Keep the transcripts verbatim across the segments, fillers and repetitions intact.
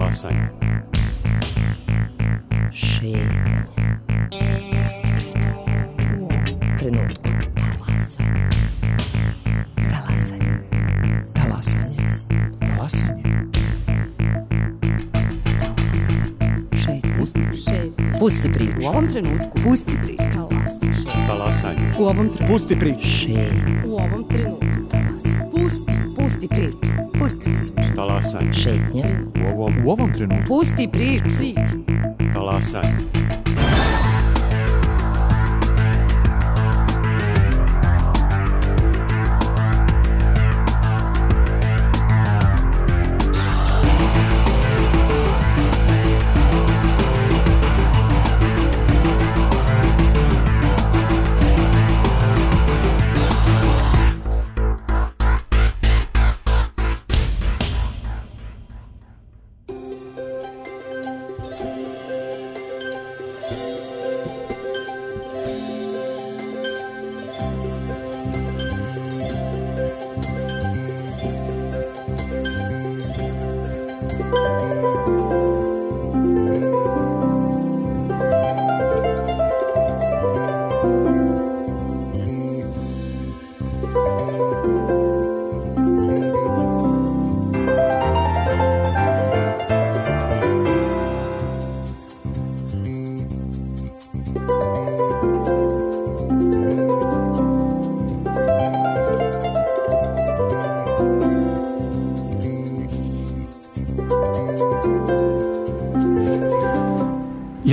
Talasanje. Šetnje. Pusti priču. U ovom trenutku. Talasanje. Talasanje. Talasanje. Talasanje. Šetnje. Pusti. Šetnje. Pusti priču. U ovom trenutku. Pusti priču. Talasanje. U ovom trenutku. Pusti priču. Šetnje. U ovom trenutku. Talasanje. Pusti. Pusti priču. Pusti priču. Talasanje. Šetnje. U ovom, U ovom trenutku. Pusti priču. Priču. talasanje.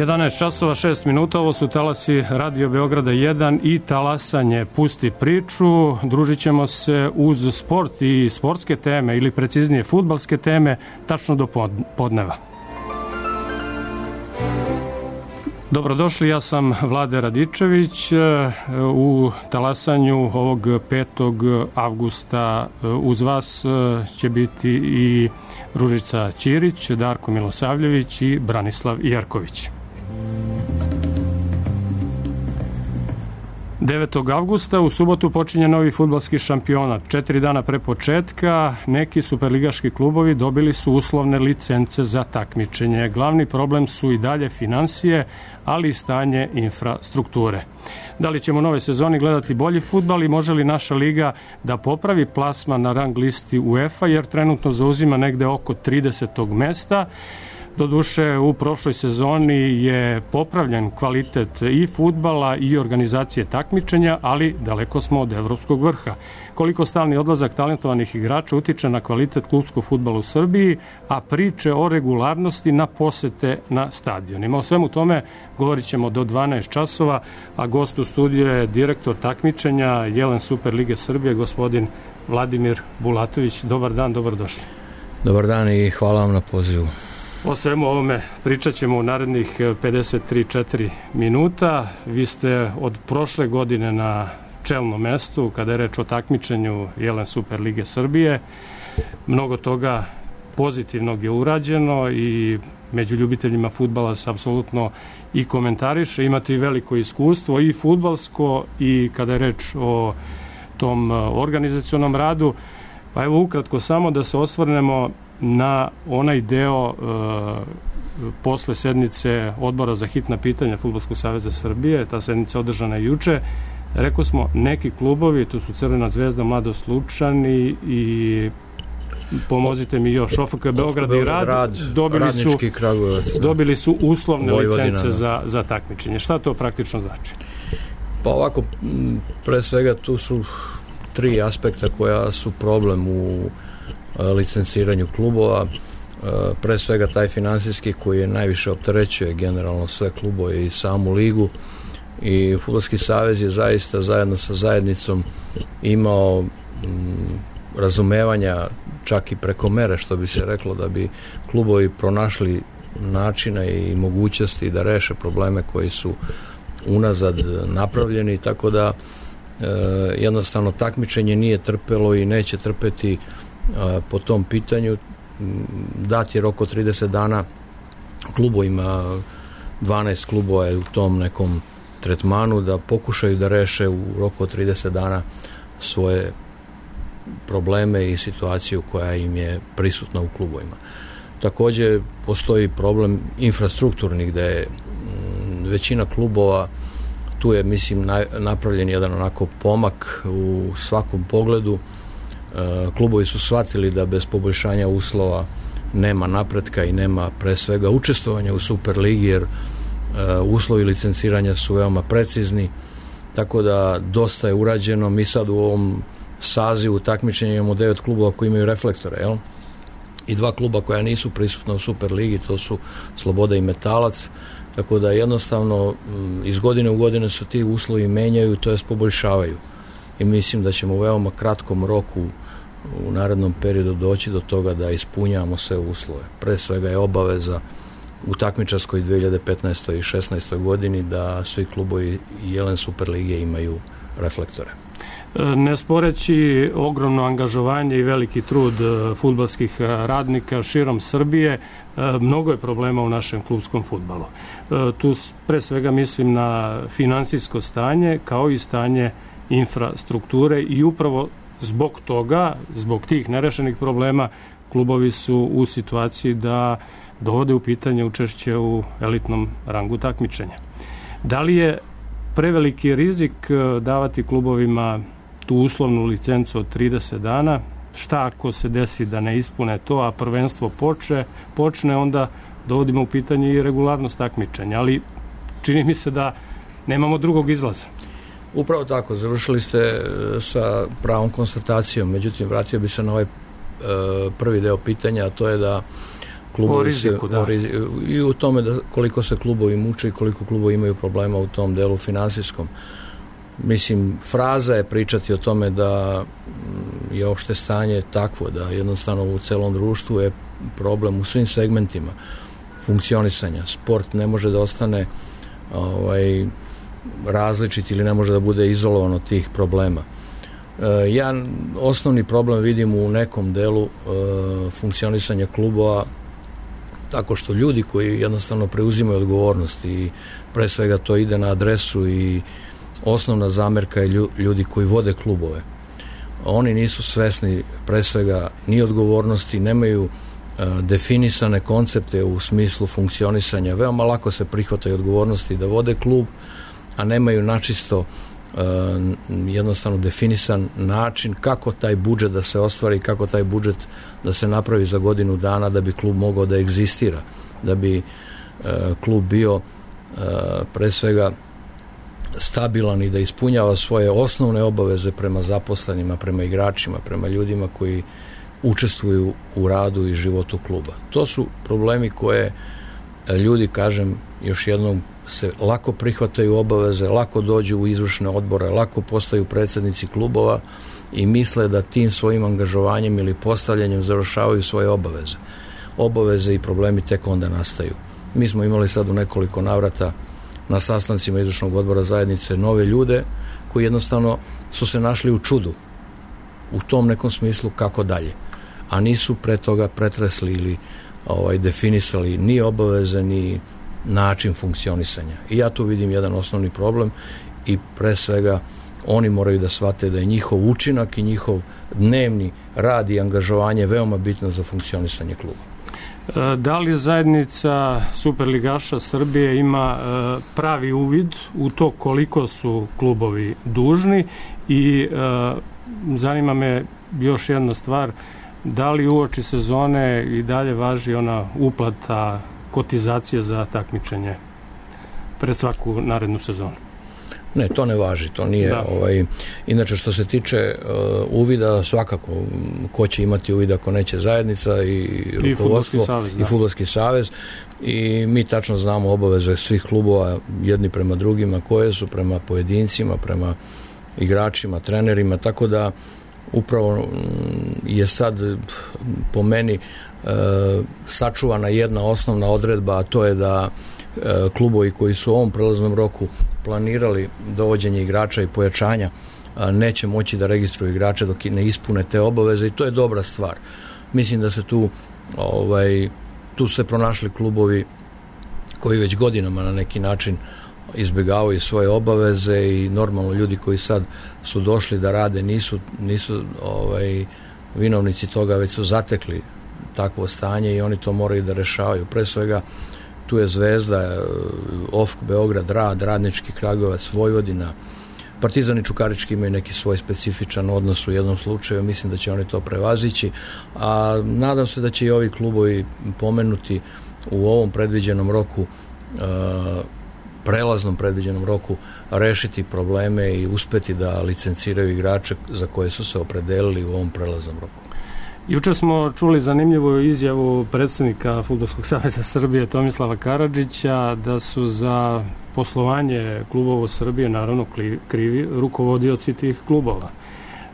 jedanaest časova šest minuta, ovo su talasi Radio Beograda jedan i talasanje Pusti priču. Družit ćemo se uz sport i sportske teme, ili preciznije fudbalske teme, tačno do podneva. Dobrodošli, ja sam Vlade Radičević. U talasanju ovog petog avgusta uz vas će biti i Ružica Ćirić, Darko Milosavljević i Branislav Jerković. devetog avgusta u subotu počinje novi fudbalski šampionat. Četiri dana pre početka neki superligaški klubovi dobili su uslovne licence za takmičenje. Glavni problem su i dalje finansije, ali i stanje infrastrukture. Da li ćemo nove sezoni gledati bolji fudbal i može li naša liga da popravi plasman na rang listi UEFA, jer trenutno zauzima negde oko tridesetog mesta. Doduše, u prošloj sezoni je popravljen kvalitet i fudbala i organizacije takmičenja, ali daleko smo od evropskog vrha. Koliko stalni odlazak talentovanih igrača utiče na kvalitet klupskog fudbala u Srbiji, a priče o regularnosti na posete na stadionima. O svemu tome govorit ćemo do dvanaest časova, a gost u studiju je direktor takmičenja Jelen Super Lige Srbije, gospodin Vladimir Bulatović. Dobar dan, dobrodošli. Dobar dan i hvala vam na pozivu. O svemu ovome pričat ćemo u narednih pedeset tri četiri minuta. Vi ste od prošle godine na čelnom mestu kada je reč o takmičenju Jelen Super Lige Srbije. Mnogo toga pozitivnog je urađeno i među ljubiteljima fudbala se apsolutno i komentariše. Imate i veliko iskustvo i fudbalsko i kada je reč o tom organizacionom radu. Pa evo ukratko samo da se osvrnemo na onaj deo e, posle sednice Odbora za hitna pitanja Fudbalskog saveza Srbije. Ta sednica održana je juče. Rekao smo, neki klubovi, to su Crvena zvezda, Mladost Lučani i pomozite mi još, O F K Beograd i Rad, Rad dobili su, Kragujevac, da. dobili su uslovne Vojvodina, licence da. za, za takmičenje. Šta to praktično znači? Pa ovako, pre svega tu su tri aspekta koja su problem u licenciranju klubova. Pre svega taj finansijski koji je najviše opterećuje generalno sve klubove i samu ligu, i Fudbalski savez je zaista zajedno sa zajednicom imao m, razumevanja čak i preko mere, što bi se reklo, da bi klubovi pronašli načine i mogućnosti da reše probleme koji su unazad napravljeni, tako da e, jednostavno takmičenje nije trpelo i neće trpeti po tom pitanju. Dat je rok od trideset dana klubovima, dvanaest klubova je u tom nekom tretmanu, da pokušaju da reše u roku od trideset dana svoje probleme i situaciju koja im je prisutna u klubovima. Također postoji problem infrastrukturnih, gde je m, većina klubova, tu je mislim na, napravljen jedan onako pomak u svakom pogledu. E, klubovi su shvatili da bez poboljšanja uslova nema napretka i nema pre svega učestvovanja u Superligi, jer e, uslovi licenciranja su veoma precizni, tako da dosta je urađeno. Mi sad u ovom sazivu takmičenja imamo devet klubova koji imaju reflektore, jel? I dva kluba koja nisu prisutna u Superligi, to su Sloboda i Metalac, tako da jednostavno iz godine u godine se ti uslovi menjaju, to jest poboljšavaju. I mislim da ćemo u veoma kratkom roku u narednom periodu doći do toga da ispunjavamo sve uslove. Pre svega je obaveza u takmičarskoj dve hiljade petnaestoj i šesnaestoj godini da svi klubovi Jelen Superlige imaju reflektore. Ne sporeći ogromno angažovanje i veliki trud fudbalskih radnika širom Srbije, mnogo je problema u našem klubskom fudbalu. Tu pre svega mislim na finansijsko stanje kao i stanje infrastrukture i upravo zbog toga, zbog tih nerešenih problema, klubovi su u situaciji da dovode u pitanje učešće u elitnom rangu takmičenja. Da li je preveliki rizik davati klubovima tu uslovnu licencu od trideset dana? Šta ako se desi da ne ispune to, a prvenstvo počne, počne onda dovodimo u pitanje i regularnost takmičenja, ali čini mi se da nemamo drugog izlaza. Upravo tako, završili ste sa pravom konstatacijom, međutim vratio bi se na ovaj e, prvi deo pitanja, a to je da klubovi o riziku, se, da. O riziku, i u tome da koliko se klubovi muče i koliko klubovi imaju problema u tom delu finansijskom. Mislim, fraza je pričati o tome da je opšte stanje takvo, da jednostavno u celom društvu je problem u svim segmentima funkcionisanja. Sport ne može da ostane ovaj, različit ili ne može da bude izolovan od tih problema. E, ja osnovni problem vidim u nekom delu e, funkcionisanja klubova tako što ljudi koji jednostavno preuzimaju odgovornost i pre svega to ide na adresu i osnovna zamerka je ljudi koji vode klubove. Oni nisu svesni pre svega ni odgovornosti, nemaju e, definisane koncepte u smislu funkcionisanja. Veoma lako se prihvataju odgovornosti da vode klub, a nemaju načisto e, jednostavno definisan način kako taj budžet da se ostvari, kako taj budžet da se napravi za godinu dana da bi klub mogao da egzistira, da bi e, klub bio e, pre svega stabilan i da ispunjava svoje osnovne obaveze prema zaposlenima, prema igračima, prema ljudima koji učestvuju u radu i životu kluba. To su problemi koje ljudi, kažem, još jednom se lako prihvataju obaveze, lako dođu u izvršne odbore, lako postaju predsjednici klubova i misle da tim svojim angažovanjem ili postavljanjem završavaju svoje obaveze. Obaveze i problemi tek onda nastaju. Mi smo imali sad u nekoliko navrata na sastancima izvršnog odbora zajednice nove ljude koji jednostavno su se našli u čudu u tom nekom smislu kako dalje, a nisu pre toga pretresli ili ovaj, definisali ni obaveze ni način funkcionisanja. I ja tu vidim jedan osnovni problem i pre svega oni moraju da shvate da je njihov učinak i njihov dnevni rad i angažovanje veoma bitno za funkcionisanje kluba. Da li zajednica Superligaša Srbije ima pravi uvid u to koliko su klubovi dužni i zanima me još jedna stvar, da li uoči sezone i dalje važi ona uplata kotizacije za takmičenje pred svaku narednu sezonu? Ne, to ne važi, to nije da. ovaj, inače što se tiče uh, uvida, svakako ko će imati uvid ako neće zajednica i rukovodstvo i savez, i fudbalski savez i mi tačno znamo obaveze svih klubova jedni prema drugima, koje su prema pojedincima, prema igračima, trenerima, tako da upravo je sad po meni uh, sačuvana jedna osnovna odredba, a to je da klubovi koji su u ovom prelaznom roku planirali dovođenje igrača i pojačanja neće moći da registruju igrače dok ne ispune te obaveze i to je dobra stvar. Mislim da se tu ovaj, tu se pronašli klubovi koji već godinama na neki način izbjegavaju svoje obaveze i normalno ljudi koji sad su došli da rade nisu, nisu ovaj, vinovnici toga, već su zatekli takvo stanje i oni to moraju da rešavaju. Pre svega tu je Zvezda, O F K Beograd, Rad, Radnički Kragujevac, Vojvodina, Partizan i Čukarički imaju neki svoj specifičan odnos u jednom slučaju, mislim da će oni to prevazići, a nadam se da će i ovi klubovi pomenuti u ovom predviđenom roku, prelaznom predviđenom roku, rešiti probleme i uspeti da licenciraju igrače za koje su se opredelili u ovom prelaznom roku. Juče smo čuli zanimljivu izjavu predsjednika Fudbalskog saveza Srbije Tomislava Karadžića da su za poslovanje klubova u Srbiji naravno krivi rukovodioci tih klubova.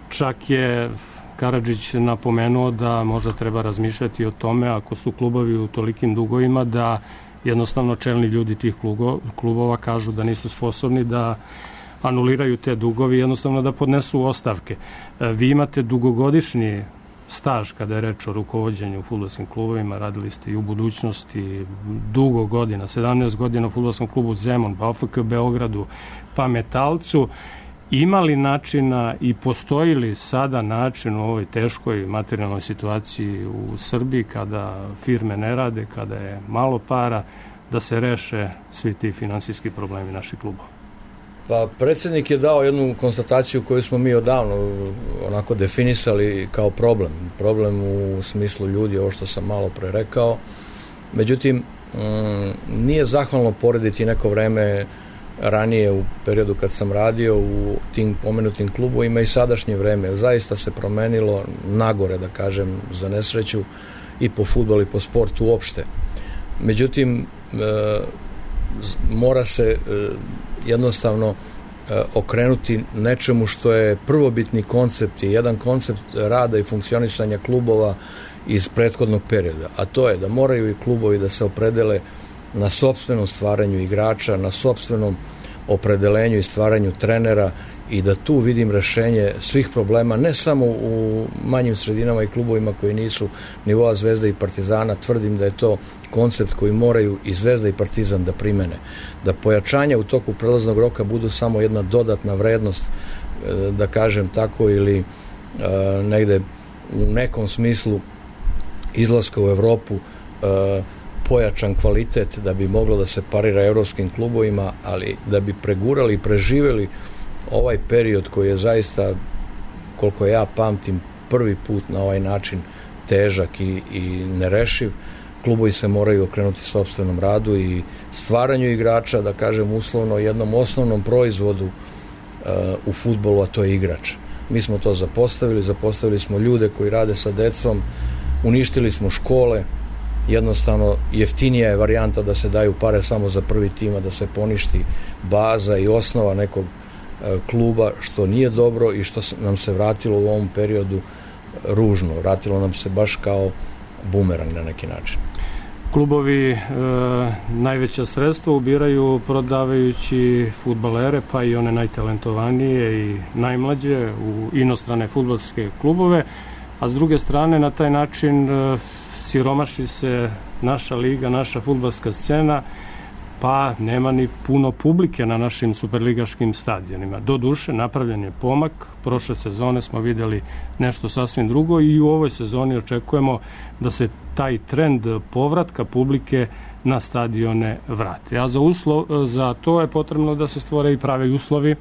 Čak je Karadžić napomenuo da možda treba razmišljati o tome, ako su klubovi u tolikim dugovima, da jednostavno čelni ljudi tih klubova kažu da nisu sposobni da anuliraju te dugovi, jednostavno da podnesu ostavke. Vi imate dugogodišnji staž kada je reč o rukovođenju u fudbalskim klubovima, radili ste i u budućnosti dugo godina, sedamnaest godina u fudbalskom klubu Zemun, pa O F K Beogradu, pa Metalcu. Ima li načina i postoji li sada način u ovoj teškoj materijalnoj situaciji u Srbiji kada firme ne rade, kada je malo para, da se reše svi ti finansijski problemi naših klubova? Pa predsjednik je dao jednu konstataciju koju smo mi odavno onako definisali kao problem. Problem u smislu ljudi, ovo što sam malo pre rekao. Međutim, nije zahvalno porediti neko vreme ranije u periodu kad sam radio u tim pomenutim klubovima i sadašnje vreme. Zaista se promenilo nagore, da kažem, za nesreću i po fudbalu i po sportu uopšte. Međutim, mora se jednostavno okrenuti nečemu što je prvobitni koncept i jedan koncept rada i funkcionisanja klubova iz prethodnog perioda, a to je da moraju i klubovi da se opredele na sopstvenom stvaranju igrača, na sopstvenom opredelenju i stvaranju trenera i da tu vidim rešenje svih problema, ne samo u manjim sredinama i klubovima koji nisu nivoa Zvezda i Partizana. Tvrdim da je to koncept koji moraju i Zvezda i Partizan da primene. Da pojačanja u toku prelaznog roka budu samo jedna dodatna vrednost, da kažem tako, ili negde u nekom smislu izlaska u Evropu pojačan kvalitet da bi moglo da se parira evropskim klubovima, ali da bi pregurali i preživeli ovaj period koji je zaista, koliko ja pamtim, prvi put na ovaj način težak i, i nerešiv. Klubovi se moraju okrenuti sopstvenom radu i stvaranju igrača, da kažem uslovno, jednom osnovnom proizvodu uh, u fudbalu, a to je igrač. Mi smo to zapostavili, zapostavili smo ljude koji rade sa decom, uništili smo škole, jednostavno jeftinija je varijanta da se daju pare samo za prvi tim, da se poništi baza i osnova nekog kluba, što nije dobro i što nam se vratilo u ovom periodu ružno. Vratilo nam se baš kao bumerang na neki način. Klubovi e, najveća sredstva ubiraju prodavajući fudbalere, pa i one najtalentovanije i najmlađe u inostrane fudbalske klubove, a s druge strane na taj način e, siromaši se naša liga, naša fudbalska scena, pa nema ni puno publike na našim superligaškim stadionima. Doduše, napravljen je pomak. Prošle sezone smo vidjeli nešto sasvim drugo i u ovoj sezoni očekujemo da se taj trend povratka publike na stadione vrati. A za, uslov, za to je potrebno da se stvore i pravi uslovi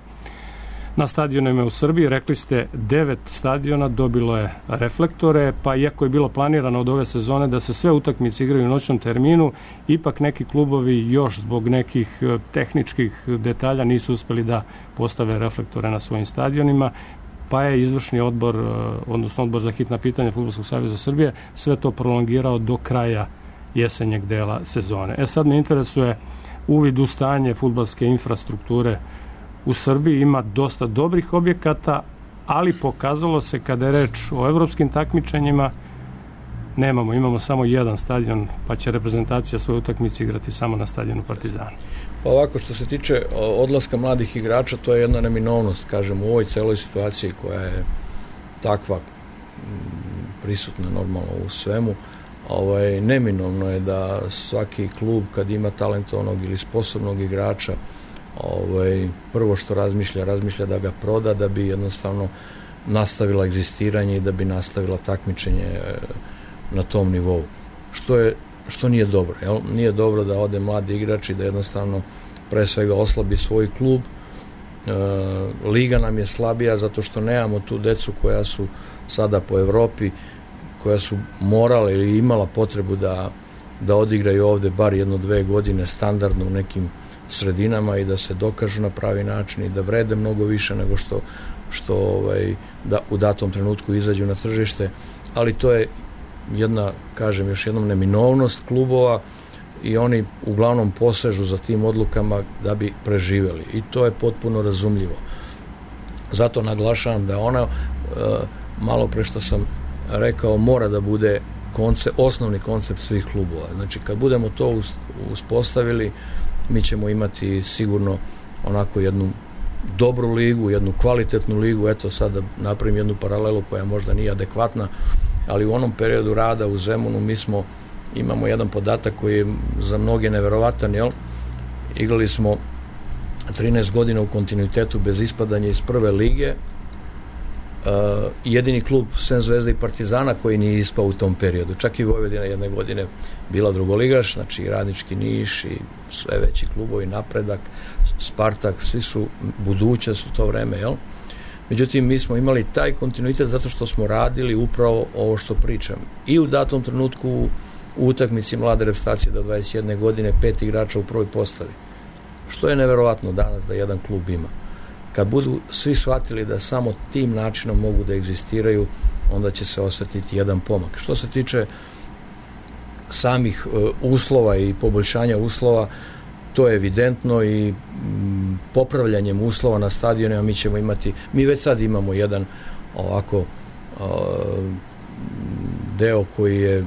na stadionima u Srbiji. Rekli ste, devet stadiona dobilo je reflektore, pa iako je bilo planirano od ove sezone da se sve utakmice igraju u noćnom terminu, ipak neki klubovi još zbog nekih tehničkih detalja nisu uspeli da postave reflektore na svojim stadionima, pa je izvršni odbor, odnosno odbor za hitna pitanja Fudbalskog saveza Srbije, sve to prolongirao do kraja jesenjeg dela sezone. E sad me interesuje uvid u stanje fudbalske infrastrukture u Srbiji. Ima dosta dobrih objekata, ali pokazalo se kada je reč o evropskim takmičenjima nemamo, imamo samo jedan stadion, pa će reprezentacija svoje utakmice igrati samo na stadionu Partizana. Pa ovako, što se tiče odlaska mladih igrača, to je jedna neminovnost, kažem, u ovoj celoj situaciji koja je takva prisutna normalno u svemu. Ovaj, neminovno je da svaki klub kad ima talentovanog ili sposobnog igrača, ovaj, prvo što razmišlja, razmišlja da ga proda, da bi jednostavno nastavila egzistiranje i da bi nastavila takmičenje na tom nivou. Što je što nije dobro. Jel? Nije dobro da ode mladi igrač i da jednostavno pre svega oslabi svoj klub. E, liga nam je slabija zato što nemamo tu decu koja su sada po Evropi, koja su morala ili imala potrebu da, da odigraju ovde bar jedno, dve godine standardno u nekim sredinama i da se dokažu na pravi način i da vrede mnogo više nego što, što ovaj, da u datom trenutku izađu na tržište, ali to je jedna, kažem još jednom, neminovnost klubova i oni uglavnom posežu za tim odlukama da bi preživeli i to je potpuno razumljivo. Zato naglašavam da ona, e, malo pre što sam rekao, mora da bude koncept, osnovni koncept svih klubova. Znači, kad budemo to uspostavili, mi ćemo imati sigurno onako jednu dobru ligu, jednu kvalitetnu ligu. Eto, sad da napravim jednu paralelu koja možda nije adekvatna, ali u onom periodu rada u Zemunu mi smo, imamo jedan podatak koji je za mnoge neverovatan, jel? Igrali smo trinaest godina u kontinuitetu bez ispadanja iz prve lige. Uh, jedini klub sem Zvezda i Partizana koji nije ispao u tom periodu. Čak i Vojvodina jedne godine bila drugoligaš, znači Radnički Niš i sve veći klubovi, Napredak, Spartak, svi su budućnost u to vreme, jel? Međutim, mi smo imali taj kontinuitet zato što smo radili upravo ovo što pričam. I u datom trenutku u utakmici mlade reprezentacije do dvadeset jedne godine pet igrača u prvoj postavi. Što je neverovatno danas da jedan klub ima. Kad budu svi shvatili da samo tim načinom mogu da egzistiraju, onda će se osetiti jedan pomak. Što se tiče samih uh, uslova i poboljšanja uslova, to je evidentno i m, popravljanjem uslova na stadionima mi ćemo imati, mi već sad imamo jedan ovako uh, deo koji je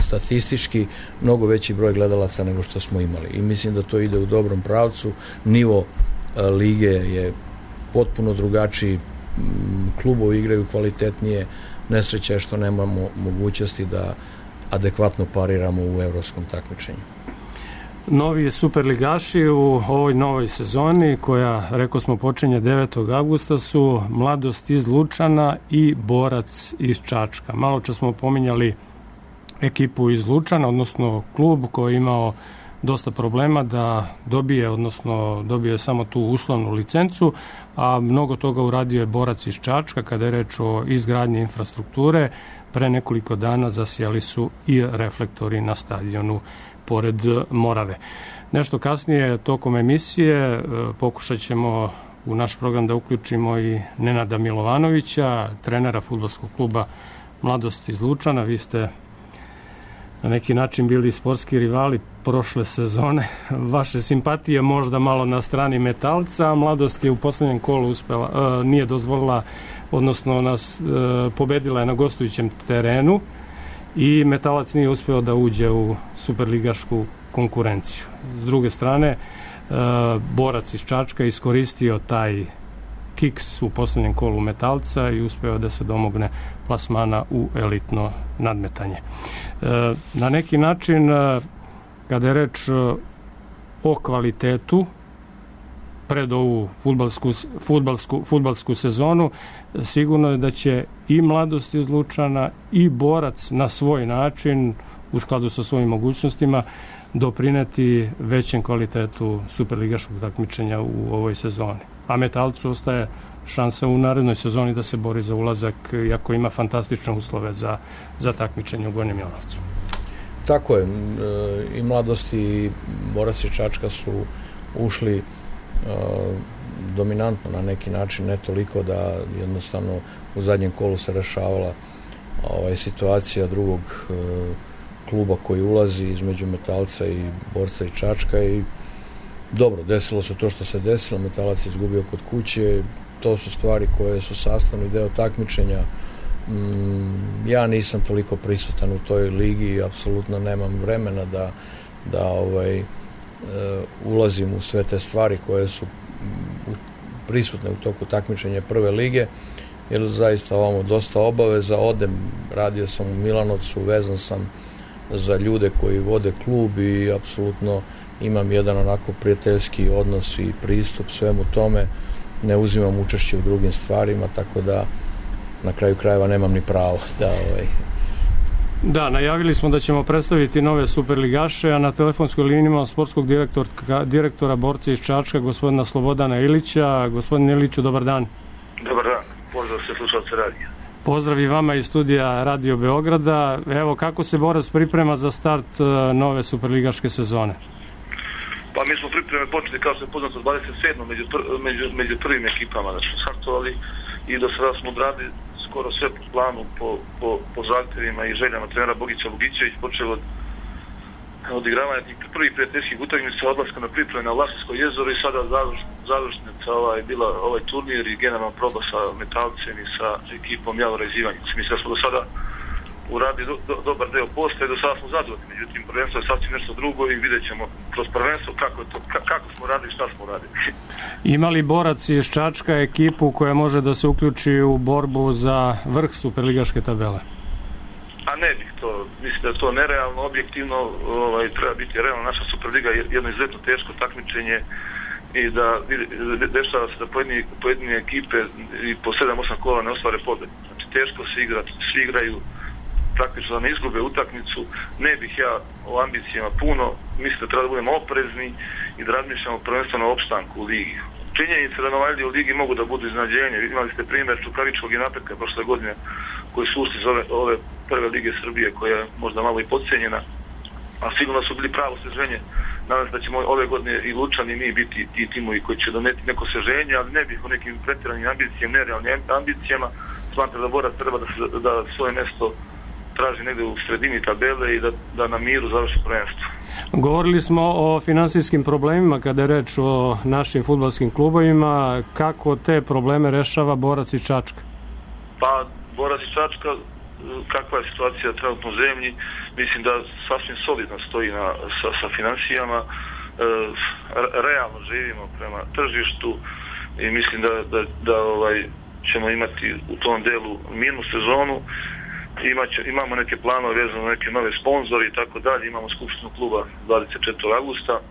statistički mnogo veći broj gledalaca nego što smo imali i mislim da to ide u dobrom pravcu. Nivo lige je potpuno drugačiji, klubovi igraju kvalitetnije, nesreća je što nemamo mogućnosti da adekvatno pariramo u evropskom takmičenju. Novi superligaši u ovoj novoj sezoni, koja, rekao smo, počinje devetog avgusta, su Mladost iz Lučana i Borac iz Čačka. Malo čas smo pominjali ekipu iz Lučana, odnosno klub koji je imao dosta problema da dobije, odnosno dobije samo tu uslovnu licencu, a mnogo toga uradio je Borac iz Čačka kada je reč o izgradnji infrastrukture. Pre nekoliko dana zasijali su i reflektori na stadionu pored Morave. Nešto kasnije tokom emisije pokušat ćemo u naš program da uključimo i Nenada Milovanovića, trenera fudbalskog kluba Mladost iz Lučana. Vi ste na neki način bili sportski rivali prošle sezone. Vaše simpatije možda malo na strani Metalca, a Mladost je u poslednjem kolu uspela, uh, nije dozvolila, odnosno nas uh, pobedila je na gostujućem terenu i Metalac nije uspeo da uđe u superligašku konkurenciju. S druge strane, uh, Borac iz Čačka iskoristio taj kiks u poslednjem kolu Metalca i uspeo da se domogne plasmana u elitno nadmetanje. Na neki način, kada je reč o kvalitetu pred ovu fudbalsku, fudbalsku, fudbalsku sezonu, sigurno je da će i Mladost iz Lučana i Borac na svoj način, u skladu sa svojim mogućnostima, doprineti većem kvalitetu superligaškog takmičenja u ovoj sezoni. A Metalcu ostaje šansa u narednoj sezoni da se bori za ulazak, iako ima fantastične uslove za, za takmičenje u Gornjem Milanovcu. Tako je. I Mladost i Borac iz Čačka su ušli dominantno na neki način, ne toliko da jednostavno u zadnjem kolu se rešavala ovaj, situacija drugog kluba koji ulazi između Metalca i Borca i Čačka i dobro, desilo se to što se desilo, Metalac je izgubio kod kuće, to su stvari koje su sastavni deo takmičenja. Mm, ja nisam toliko prisutan u toj ligi i apsolutno nemam vremena da, da ovaj, e, ulazim u sve te stvari koje su u, prisutne u toku takmičenja prve lige, jer zaista ovamo dosta obaveza, odem, radio sam u Milanovcu, vezan sam za ljude koji vode klub i apsolutno imam jedan onako prijateljski odnos i pristup svemu tome, ne uzimam učešće u drugim stvarima, tako da na kraju krajeva nemam ni pravo da ovaj... Da, najavili smo da ćemo predstaviti nove superligaše, a na telefonskoj liniji imamo sportskog direktora, direktora borca iz Čačka, gospodina Slobodana Ilića. Gospodin Iliću, dobar dan. Dobar dan, pozdrav sve slušalce radija. Pozdrav i vama iz studija Radio Beograda. Evo, kako se Borac priprema za start nove superligaške sezone? Pa mi smo pripreme počeli, kao što je poznato, dvadeset sedmog među, među, među prvim ekipama da smo startovali i do sada smo odradili skoro sve po planu, po, po, po zahtjevima i željama trenera Bogića Bogićević, počeo od odigravanja tih prvih prijateljskih utakmica, odlaska na pripreme na Vlašinsko jezero i sada završ, završnica ovaj, bila ovaj turnir i generalna proba sa Metalcem i sa ekipom Javora iz Ivanjice. Mislim da smo do sada uradili do, do, dobar deo posla i do sada smo zadovoljni. Međutim, prvenstvo je sasvim nešto drugo i vidjet ćemo kroz prvenstvo kako, je to, kako smo radili i šta smo radili. Ima li Borac iz Čačka ekipu koja može da se uključi u borbu za vrh superligaške tabele? A ne bih to, mislim da je to nerealno, objektivno, ovaj, treba biti realno. Naša Superliga je jedno izuzetno teško takmičenje i da dešava se da pojedine, pojedine ekipe i po sedam osam kola ne ostvare pobjedu. Znači teško se igra, svi igraju praktično da ne izgube utakmicu. Ne bih ja o ambicijama puno, mislim da treba da budemo oprezni i da razmišljamo prvenstveno o opstanku u ligi. Činjenice da Novajlije u ligi mogu da budu iznenađenje. Imali ste primjer Čukaričkog i Napretka prošle godine koji su ušli iz ove, ove prve lige Srbije koja je možda malo i podcijenjena, a sigurno su bili pravo osveženje. Nadam se da ćemo ove godine i Lučani i mi biti ti timovi koji će doneti neko osveženje, ali ne bih o nekim pretjeranim ambicijama, nerealnim ambicijama. Smatram da Borac treba da, se, da svoje mjesto traži negdje u sredini tabele i da, da na miru završi prvenstvo. Govorili smo o finansijskim problemima kada je reč o našim fudbalskim klubovima. Kako te probleme rešava Borac iz Čačka? Pa Borac iz Čačka, kakva je situacija trenutno u zemlji, mislim da sasvim solidno stoji na, sa, sa financijama. E, realno živimo prema tržištu i mislim da, da, da ovaj, ćemo imati u tom delu mirnu sezonu. Imaće, imamo neke planove vezano na neke nove sponzore i tako dalje. Imamo skupštinu kluba dvadeset četvrtog augusta. E,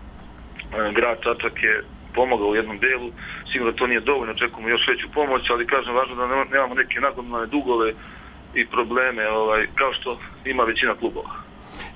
grad Čačak je pomogao u jednom delu. Sigurno to nije dovoljno, očekujemo još veću pomoć, ali kažem važno da nemamo neke nagomilane dugove i probleme ovaj, kao što ima većina klubova.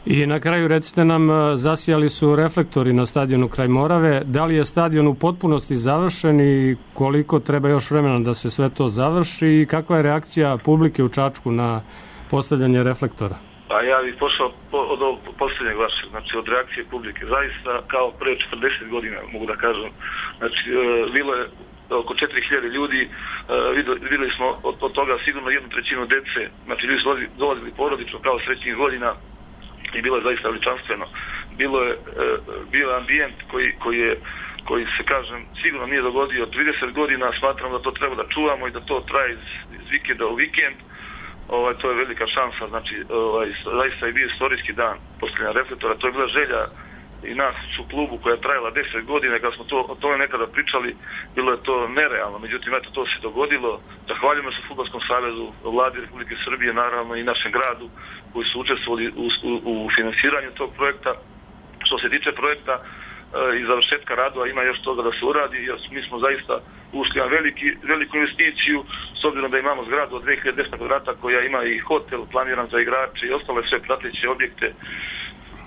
I na kraju recite nam, zasijali su reflektori na stadionu kraj Morave. Da li je stadion u potpunosti završen i koliko treba još vremena da se sve to završi i kakva je reakcija publike u Čačku na postavljanje reflektora? Pa ja bih pošao po, od ovog posljednjeg vašeg, znači od reakcije publike. Zaista kao pre četrdeset godina, mogu da kažem. Znači, e, bilo je oko četiri hiljade ljudi, e, vidjeli smo od, od toga sigurno jednu trećinu dece, znači ljudi su dolazili porodično kao srećnih godina i bilo je zaista veličanstveno. Bilo je, e, bio je ambijent koji, koji je koji se, kažem, sigurno nije dogodio od trideset godina, smatram da to treba da čuvamo i da to traje iz, iz vikenda u vikend. Ovaj, to je velika šansa, znači ovaj, zaista je bio istorijski dan postavljanja reflektora, to je bila želja i nas u klubu koja je trajala deset godina, kad smo to, o tome nekada pričali, bilo je to nerealno, međutim eto to se dogodilo. Zahvaljujemo se Fudbalskom savezu, vladi Republike Srbije, naravno i našem gradu koji su učestvovali u, u, u finansiranju tog projekta. Što se tiče projekta i završetka radova, ima još toga da se uradi, jer mi smo zaista ušli na veliki, veliku investiciju, s obzirom da imamo zgradu od dve hiljade dvesta kvadrata koja ima i hotel planiran za igrače i ostale sve prateće objekte,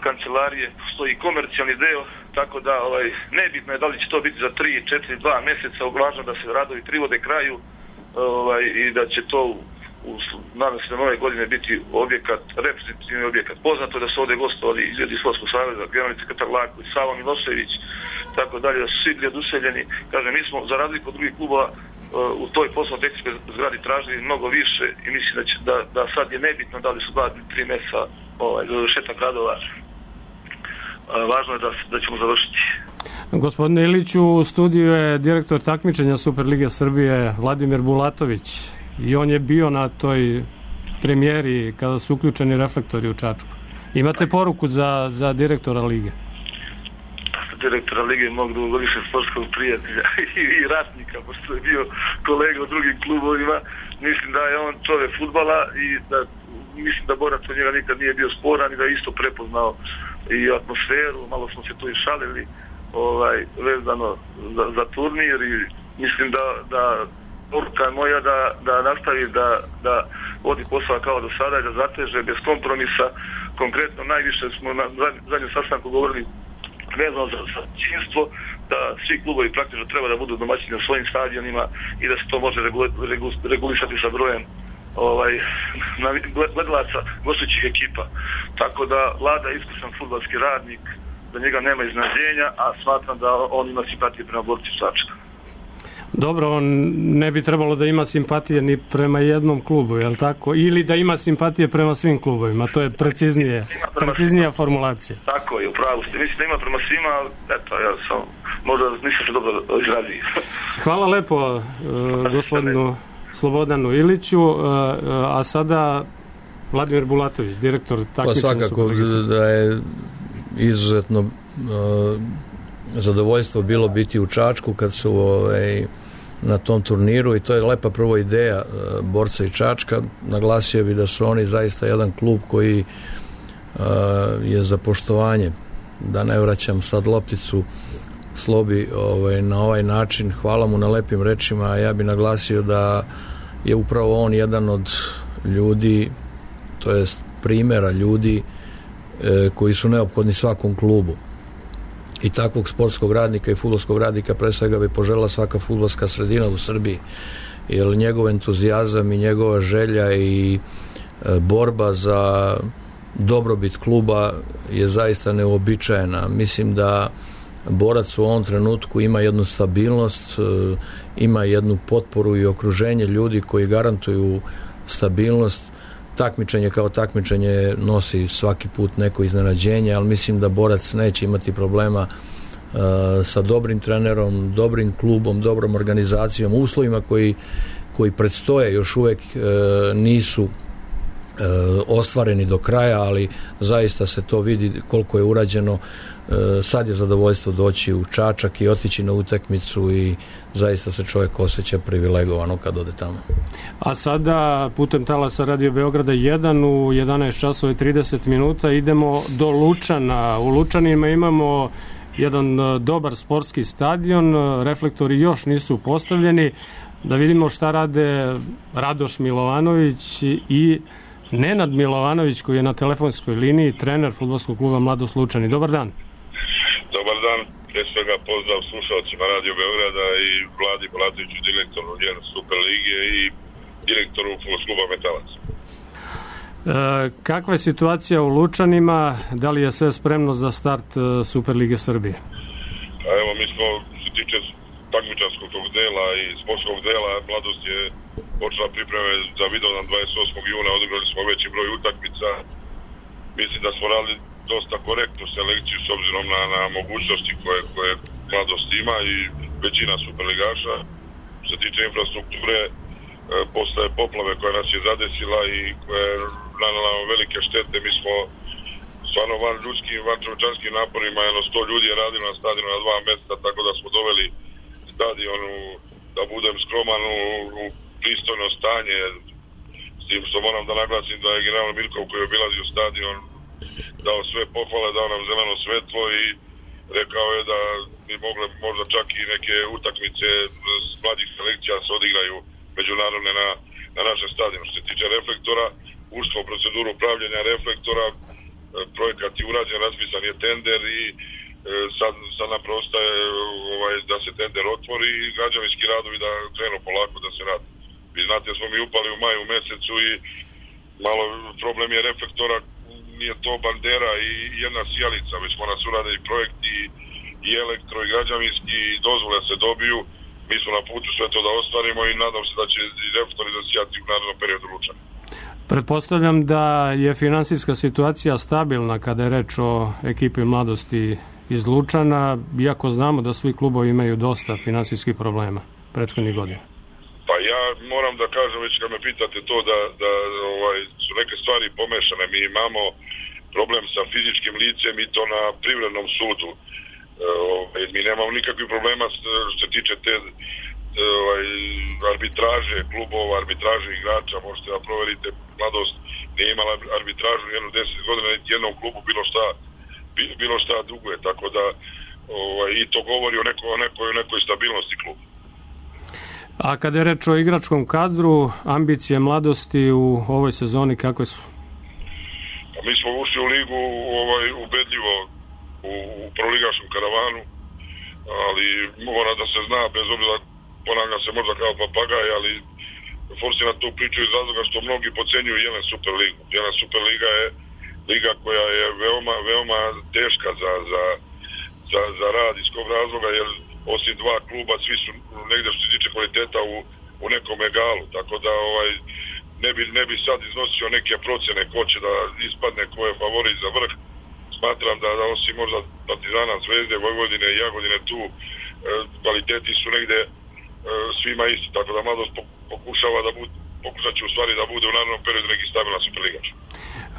kancelarije, stoji komercijalni deo, tako da ovaj, nebitno je da li će to biti za tri, četiri, dva mjeseca, uglavnom da se radovi privode kraju ovaj, i da će to u, nadam se da nove godine biti objekat, reprezentativni objekat. Poznato je da su ovdje gostovali ljudi iz Fudbalskog saveza, generalni sekretar Laković, Savo Milošević, tako dalje, da su svi bili oduševljeni. Kažem, mi smo za razliku od drugih klubova u toj poslovno-tehničkoj zgradi tražili mnogo više i mislim da, će, da, da sad je nebitno da li su dva ili tri mjeseca ovaj, za završetak radova. Važno je da, da ćemo završiti. Gospodine Iliću, u studiju je direktor takmičenja Superlige Srbije Vladimir Bulatović i on je bio na toj premijeri kada su uključeni reflektori u Čačku. Imate poruku za, za direktora lige? Direktora lige mog dugogodišnjeg sportskog prijatelja i ratnika, pošto je bio kolega u drugim klubovima. Mislim da je on čovjek fudbala i da mislim da Borac od njega nikad nije bio sporan i da je isto prepoznao i atmosferu, malo smo se tu i šalili ovaj, vezano za, za turnir i mislim da, da poruka moja da, da nastavi da, da vodi posao kao do sada i da zateže bez kompromisa. Konkretno najviše smo na zadnjem sastanku govorili vezano za domaćinstvo, da svi klubovi praktično treba da budu domaćini na svojim stadionima i da se to može regulisati sa brojem ovaj, gledalaca gostujućih ekipa. Tako da Vlada je iskusan fudbalski radnik, da njega nema iznenađenja, a smatram da on ima simpatije prema borci Čačka. Dobro, on ne bi trebalo da ima simpatije ni prema jednom klubu, je li tako? Ili da ima simpatije prema svim klubovima, to je preciznije, preciznija formulacija. Tako je, upravo ste. Mislim da ima prema svima, ali eto, ja sam, možda nisam se dobro izrazio. Hvala lepo uh, gospodinu Slobodanu Iliću, uh, uh, a sada Vladimir Bulatović, direktor takmičenja. Pa svakako da je izuzetno uh, zadovoljstvo bilo biti u Čačku kad su ovaj, na tom turniru i to je lepa prvo ideja uh, Borca i Čačka. Naglasio bi da su oni zaista jedan klub koji uh, je za poštovanje, da ne vraćam sad lopticu Slobi ovaj, na ovaj način. Hvala mu na lepim rečima, a ja bi naglasio da je upravo on jedan od ljudi, to jest primjera ljudi e, koji su neophodni svakom klubu. I takvog sportskog radnika i fudbalskog radnika pre svega bi poželjela svaka fudbalska sredina u Srbiji, jer njegov entuzijazam i njegova želja i e, borba za dobrobit kluba je zaista neuobičajena. Mislim da Borac u ovom trenutku ima jednu stabilnost, ima jednu potporu i okruženje ljudi koji garantuju stabilnost. Takmičenje kao takmičenje nosi svaki put neko iznenađenje, ali mislim da Borac neće imati problema uh, sa dobrim trenerom, dobrim klubom, dobrom organizacijom, uslovima koji, koji predstoje još uvek uh, nisu ostvareni do kraja, ali zaista se to vidi koliko je urađeno. Sad je zadovoljstvo doći u Čačak i otići na utakmicu i zaista se čovjek osjeća privilegovano kad ode tamo. A sada putem talasa Radio Beograda jedan u jedanaest časova i trideset minuta idemo do Lučana. U Lučanima imamo jedan dobar sportski stadion, reflektori još nisu postavljeni. Da vidimo šta rade Radoš Milovanović i Nenad Milovanović, koji je na telefonskoj liniji, trener fudbalskog kluba Mladost Lučani. Dobar dan. Dobar dan. Prije svega pozdrav slušalcima Radio Beograda i Vladi Bulatoviću, direktoru Super lige i direktoru fudbalskog kluba Metalac. E, kakva je situacija u Lučanima? Da li je sve spremno za start Super lige Srbije? A evo, mi smo, što se tiče takmičarskog tog dela i sportskog dela, Mladost je počela pripreme za Vidovdan dvadeset osmog juna, odigrali smo veći broj utakmica. Mislim da smo radili dosta korektnu selekciju s obzirom na, na mogućnosti koje, koje Mladost ima i većina superligaša. Što se tiče infrastrukture, e, posle poplave koja nas je zadesila i koja je nanela velike štete, mi smo stvarno van ljudskim, van čovječanskim naporima, jedno sto ljudi je radilo na stadionu na dva mesta, tako da smo doveli stadionu, da budem skroman, u, u pristojno stanje, s tim što moram da naglasim da je general Mirkov koji je obilazio stadion dao sve pohvale, dao nam zeleno svetlo i rekao je da bi mogle možda čak i neke utakmice s mladih selekcija se odigraju međunarodne na, na našem stadionu. Što se tiče reflektora, ušlo u proceduru upravljanja reflektora, projekat je urađen, raspisan je tender i sad, sad nam preostaje ovaj, da se tender otvori i građevinski radovi da krenu polako da se radi. Vi znate, smo mi upali u maju mesecu i malo problem je reflektora, nije to bandera i jedna sijalica, već smo nas uradili projekt i, i elektro i građevinski i dozvole se dobiju. Mi smo na putu sve to da ostvarimo i nadam se da će reflektori zasijati u narednom periodu Lučana. Pretpostavljam da je finansijska situacija stabilna kada je reč o ekipi Mladosti iz Lučana, iako znamo da svi klubovi imaju dosta finansijskih problema prethodnih godina. Pa ja moram da kažem, već kad me pitate to, da, da ovaj, su neke stvari pomešane. Mi imamo problem sa fizičkim licem i to na privrednom sudu. E, ovaj, mi nemamo nikakvih problema što se tiče te ovaj, arbitraže klubova, arbitraže igrača. Možete da proverite, Mladost nije imala arbitražu jednu deset godina, niti jednom klubu bilo šta, bilo šta duguje. Tako da ovaj, i to govori o, neko, o, nekoj, o nekoj stabilnosti kluba. A kada je reč o igračkom kadru, ambicije mladosti u ovoj sezoni kakve su? Mi smo ušli u ligu ovaj, ubedljivo u, u proligaškom karavanu, ali mora da se zna, bez obzira ponavljam se možda kao papagaj, ali forsiram tu priču iz razloga što mnogi podcenjuju Jelen Superligu. Jelen Superliga je liga koja je veoma, veoma teška za, za, za, za rad, iz kog razloga, jer osim dva kluba svi su negdje što se tiče kvaliteta u, u nekom egalu, tako da ovaj, ne bi, ne bi sad iznosio neke procene ko će da ispadne, ko je favorit za vrh. Smatram da, da osim možda Partizana, Zvezde, Vojvodine i Jagodine tu e, kvaliteti su negde e, svima isti, tako da mladost pokušava da bude, pokušat će u stvari da bude u narednom periodu neki stabilan superligač.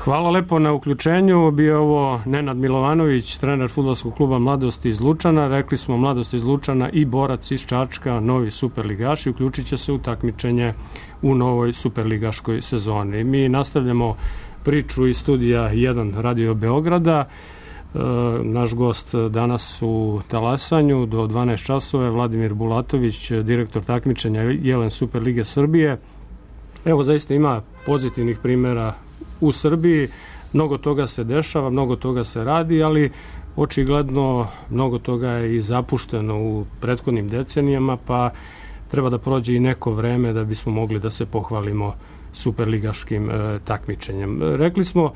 Hvala lepo na uključenju. Bio ovo Nenad Milovanović, trener fudbalskog kluba Mladosti iz Lučana. Rekli smo Mladost iz Lučana i Borac iz Čačka, novi superligaši, uključit će se u takmičenje u novoj superligaškoj sezoni. Mi nastavljamo priču iz studija jedan Radio Beograda. E, naš gost danas u Talasanju do dvanaest časova je Vladimir Bulatović, direktor takmičenja Jelen Superlige Srbije. Evo, zaista ima pozitivnih primjera u Srbiji, mnogo toga se dešava, mnogo toga se radi, ali očigledno mnogo toga je i zapušteno u prethodnim decenijama, pa treba da prođe i neko vreme da bismo mogli da se pohvalimo superligaškim e, takmičenjem. Rekli smo,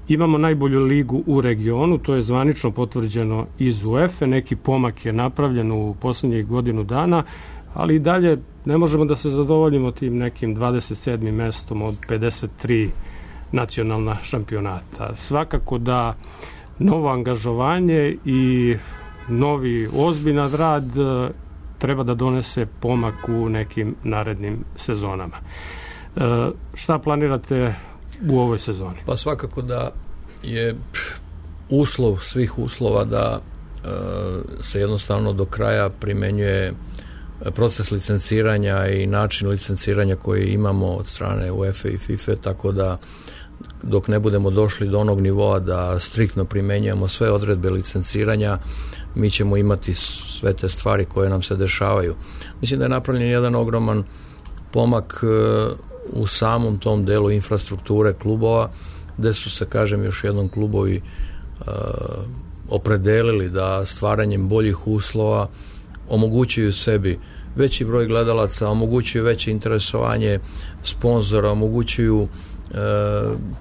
imamo najbolju ligu u regionu, to je zvanično potvrđeno iz UEFA, neki pomak je napravljen u poslednjih godinu dana, ali i dalje ne možemo da se zadovoljimo tim nekim dvadeset sedmim mestom od pedeset tri nacionalna šampionata. Svakako da novo angažovanje i novi ozbiljan rad treba da donese pomak u nekim narednim sezonama. E, šta planirate u ovoj sezoni? Pa svakako da je uslov svih uslova da e, se jednostavno do kraja primenjuje proces licenciranja i način licenciranja koji imamo od strane UEFA i FIFA, tako da dok ne budemo došli do onog nivoa da striktno primenjujemo sve odredbe licenciranja, mi ćemo imati sve te stvari koje nam se dešavaju. Mislim da je napravljen jedan ogroman pomak u samom tom delu infrastrukture klubova, gde su se, kažem još jednom, klubovi uh, opredelili da stvaranjem boljih uslova omogućuju sebi veći broj gledalaca, omogućuju veće interesovanje sponzora, omogućuju e,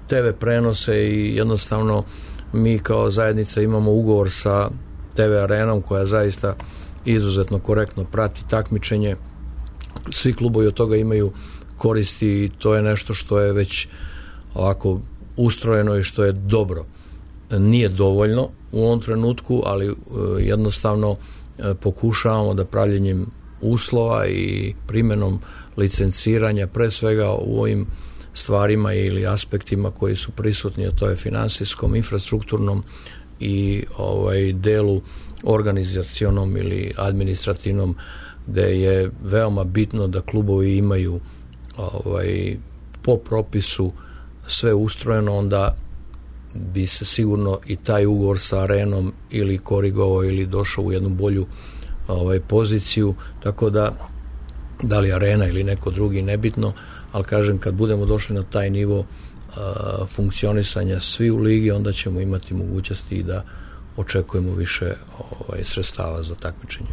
te ve prenose i jednostavno mi kao zajednica imamo ugovor sa te ve arenom koja zaista izuzetno korektno prati takmičenje. Svi klubovi od toga imaju koristi i to je nešto što je već ovako ustrojeno i što je dobro. Nije dovoljno u ovom trenutku, ali e, jednostavno pokušavamo da pravljenjem uslova i primjenom licenciranja, pre svega u ovim stvarima ili aspektima koji su prisutni, a to je finansijskom, infrastrukturnom i ovaj delu organizacionom ili administrativnom, gde je veoma bitno da klubovi imaju ovaj, po propisu sve ustrojeno, onda bi se sigurno i taj ugovor sa arenom ili korigovao ili došao u jednu bolju ovaj, poziciju, tako da da li arena ili neko drugi, nebitno, ali kažem, kad budemo došli na taj nivo a, funkcionisanja svi u ligi, onda ćemo imati mogućnosti i da očekujemo više ovaj, sredstava za takmičenje.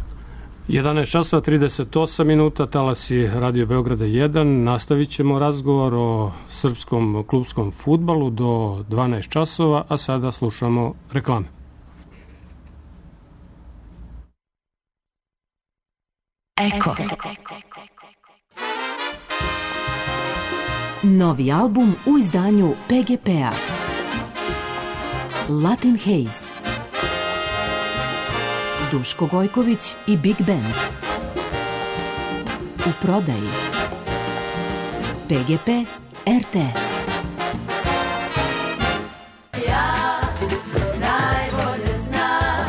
jedanaest časova trideset osam minuta, talasi Radio Beograda jedan. Nastavit ćemo razgovor o srpskom klubskom fudbalu do dvanaest časova, a sada slušamo reklame. Eko. Novi album u izdanju pe ge pe-a. Latin Haze. Duško Gojković i Big Band. U prodaji pe ge pe er te es. Ja najbolje znam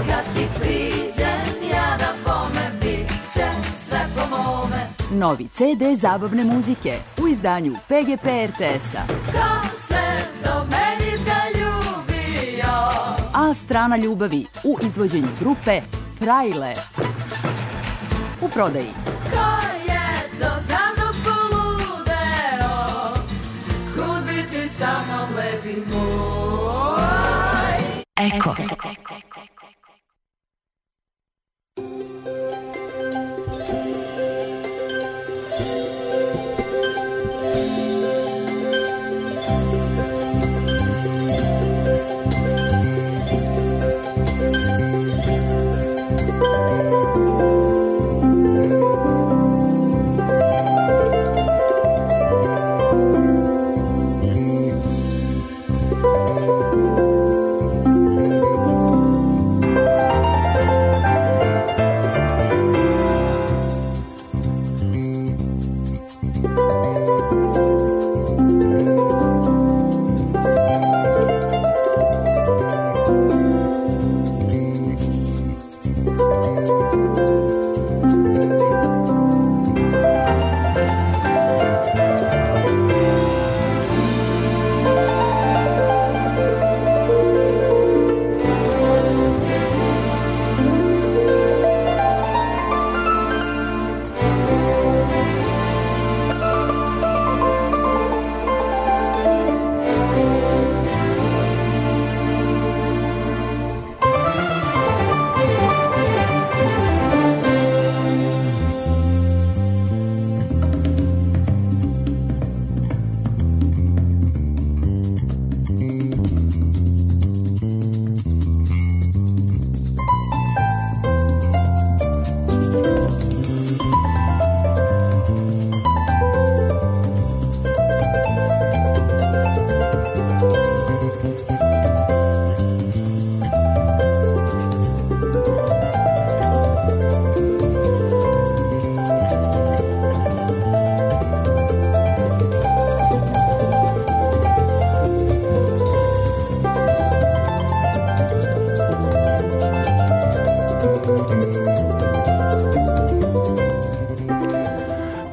kad ti priđem ja da bome bit će sve po mome. Novi ce de zabavne muzike u izdanju pe ge pe er te es-a. Ko se do meni zaljubio? A strana ljubavi u izvođenju grupe Frajle. U prodaji ko je to za mnom poludeo, kud biti sa mnom lepi moj. Eko.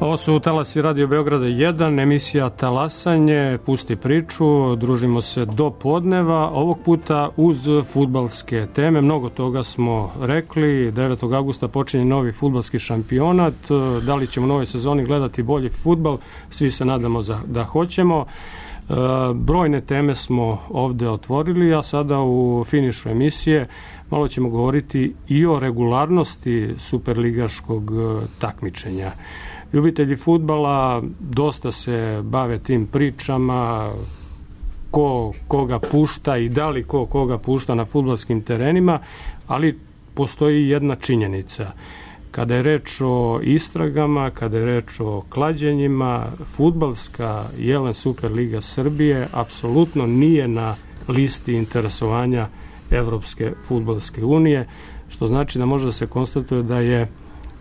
Ovo su Talasi Radio Beograda jedan, emisija Talasanje, pusti priču, družimo se do podneva, ovog puta uz fudbalske teme. Mnogo toga smo rekli, devetog avgusta počinje novi fudbalski šampionat, da li ćemo u novoj sezoni gledati bolji fudbal, svi se nadamo da hoćemo. Brojne teme smo ovde otvorili, a sada u finišu emisije malo ćemo govoriti i o regularnosti superligaškog takmičenja. Ljubitelji fudbala dosta se bave tim pričama, ko koga pušta i da li ko koga pušta na fudbalskim terenima, ali postoji jedna činjenica. Kada je reč o istragama, kada je reč o klađenjima, fudbalska Jelen Superliga Srbije apsolutno nije na listi interesovanja Evropske fudbalske unije, što znači da može da se konstatuje da je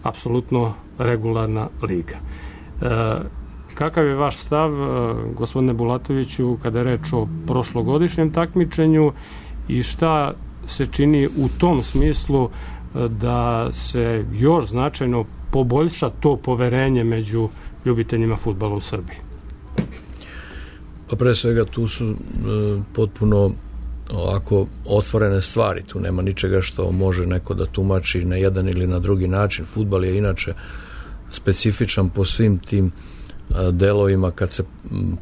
apsolutno regularna liga. E, kakav je vaš stav, gospodine Bulatoviću, kada je reč o prošlogodišnjem takmičenju i šta se čini u tom smislu da se još značajno poboljša to poverenje među ljubiteljima fudbala u Srbiji? Pa pre svega tu su e, potpuno ovako otvorene stvari, tu nema ničega što može neko da tumači na jedan ili na drugi način. Fudbal je inače specifičan po svim tim delovima kad se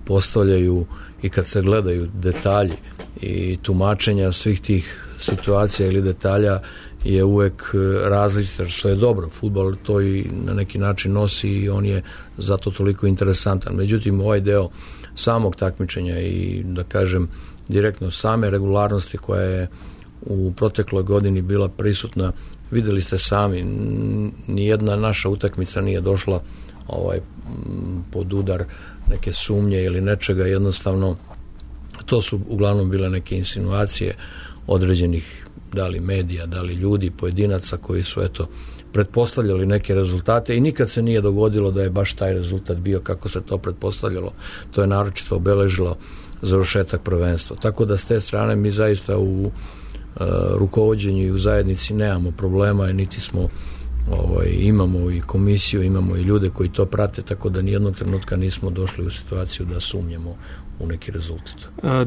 postavljaju i kad se gledaju detalji i tumačenja svih tih situacija ili detalja je uvek različito, što je dobro. Fudbal to i na neki način nosi i on je zato toliko interesantan. Međutim, ovaj deo samog takmičenja i da kažem direktno same regularnosti koja je u protekloj godini bila prisutna, videli ste sami, nijedna naša utakmica nije došla ovaj pod udar neke sumnje ili nečega, jednostavno to su uglavnom bile neke insinuacije određenih da li medija, da li ljudi, pojedinaca koji su eto pretpostavljali neke rezultate i nikad se nije dogodilo da je baš taj rezultat bio kako se to pretpostavljalo. To je naročito obeležilo završetak prvenstva. Tako da s te strane mi zaista u uh, rukovođenju i u zajednici nemamo problema, niti smo ovaj, imamo i komisiju, imamo i ljude koji to prate, tako da nijednog trenutka nismo došli u situaciju da sumnjamo u neki rezultat.